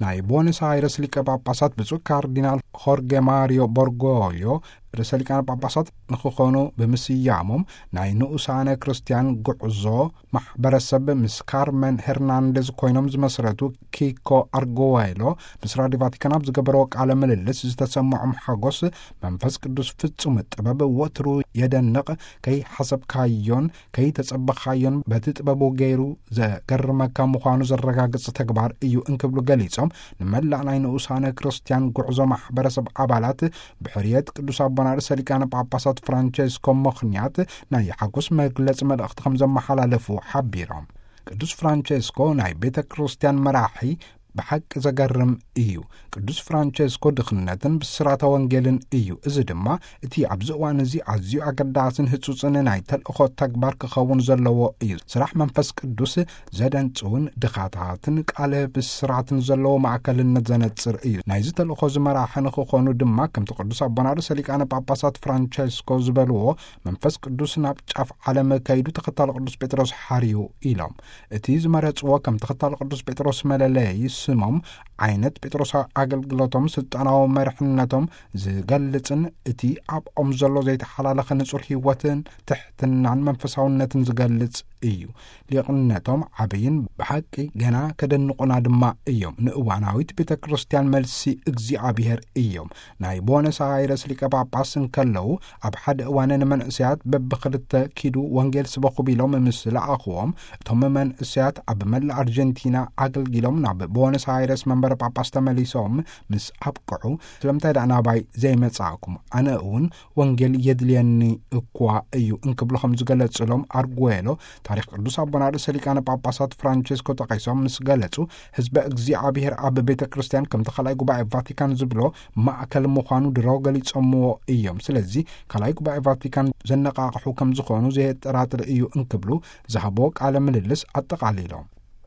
ናይ ቦነስ ኣይረስ ሊቀ ጳጳሳት ብፁዕ ካርዲናል ሆርጌ ማሪዮ ቦርጎልዮ ርእሰ ሊቃነ ጳጳሳት ንክኾኑ ብምስያሞም፣ ናይ ንኡሳነ ክርስቲያን ጉዕዞ ማሕበረሰብ ምስ ካርመን ሄርናንዴዝ ኮይኖም ዝመስረቱ ኪኮ ኣርጎዋይሎ ምስ ራዲዮ ቫቲካን ኣብ ዝገበረዎ ቃለ ምልልስ ዝተሰምዖም ሓጎስ፣ መንፈስ ቅዱስ ፍጹም ጥበብ ወትሩ የደንቕ፣ ከይሓሰብካዮን ከይተጸበኻዮን በቲ ጥበቡ ገይሩ ዘገርመካ ምዃኑ ዘረጋግጽ ተግባር እዩ እንክብሉ ገሊጾም፣ ንመላእ ናይ ንኡሳነ ክርስቲያን ጉዕዞ ማሕበረሰብ ኣባላት ብሕርየት ቅዱስ ኣቦና ርእሰ ሊቃነ ጳጳሳት ፍራንቸስኮ ምኽንያት ናይ ሓጎስ መግለጺ መልእኽቲ ከም ዘመሓላለፉ ሓቢሮም። ቅዱስ ፍራንቸስኮ ናይ ቤተ ክርስቲያን መራሒ ብሓቂ ዘገርም እዩ። ቅዱስ ፍራንቸስኮ ድኽነትን ብስራተ ወንጌልን እዩ። እዚ ድማ እቲ ኣብዚ እዋን እዚ ኣዝዩ ኣገዳስን ህጹጽን ናይ ተልእኾ ተግባር ክኸውን ዘለዎ እዩ። ስራሕ መንፈስ ቅዱስ ዘደንጽውን ድኻታትን ቃለ ብስራትን ዘለዎ ማእከልነት ዘነጽር እዩ። ናይዚ ተልእኾ እዚ መራሒ ንክኾኑ ድማ፣ ከምቲ ቅዱስ ኣቦና ርእሰ ሊቃነ ጳጳሳት ፍራንቸስኮ ዝበልዎ፣ መንፈስ ቅዱስ ናብ ጫፍ ዓለም ከይዱ ተኸታሊ ቅዱስ ጴጥሮስ ሓርዩ ኢሎም። እቲ ዝመረጽዎ ከም ተኸታሊ ቅዱስ ጴጥሮስ መለለዪ ስሞም፣ ዓይነት ጴጥሮሳዊ ኣገልግሎቶም፣ ስልጣናዊ መርሕነቶም ዝገልጽን እቲ ኣብኦም ዘሎ ዘይተሓላለኸ ንጹር ህይወትን ትሕትናን መንፈሳውነትን ዝገልጽ እዩ። ሊቕነቶም ዓብይን ብሓቂ ገና ከደንቑና ድማ እዮም። ንእዋናዊት ቤተ ክርስቲያን መልሲ እግዚኣብሔር እዮም። ናይ ቦነስ ኣይረስ ሊቀ ጳጳስ እንከለዉ፣ ኣብ ሓደ እዋን ንመንእሰያት በብኽልተ ኪዱ ወንጌል ስበኹ ቢሎም ምስ ለኣኽዎም፣ እቶም መንእሰያት ኣብ መላእ ኣርጀንቲና ኣገልጊሎም ናብ ቦነስ ኣይረስ መንበረ ጳጳስ ተመሊሶም ምስ ኣብቅዑ፣ ስለምንታይ ደኣ ናባይ ዘይመጻእኩም? ኣነ እውን ወንጌል የድልየኒ እኳ እዩ እንክብሉ ከም ዝገለጽሎም ኣርጉዌሎ፣ ታሪኽ ቅዱስ ኣቦና ርእሰ ሊቃነ ጳጳሳት ፍራንቸስኮ ጠቒሶም ምስ ገለጹ፣ ህዝበ እግዚኣብሔር ኣብ ቤተ ክርስቲያን ከምቲ ካልኣይ ጉባኤ ቫቲካን ዝብሎ ማእከል ምዃኑ ድሮ ገሊጾምዎ እዮም። ስለዚ ካልኣይ ጉባኤ ቫቲካን ዘነቓቕሑ ከም ዝኾኑ ዘየጠራጥር እዩ እንክብሉ ዝሃቦ ቃለ ምልልስ ኣጠቓሊሎም።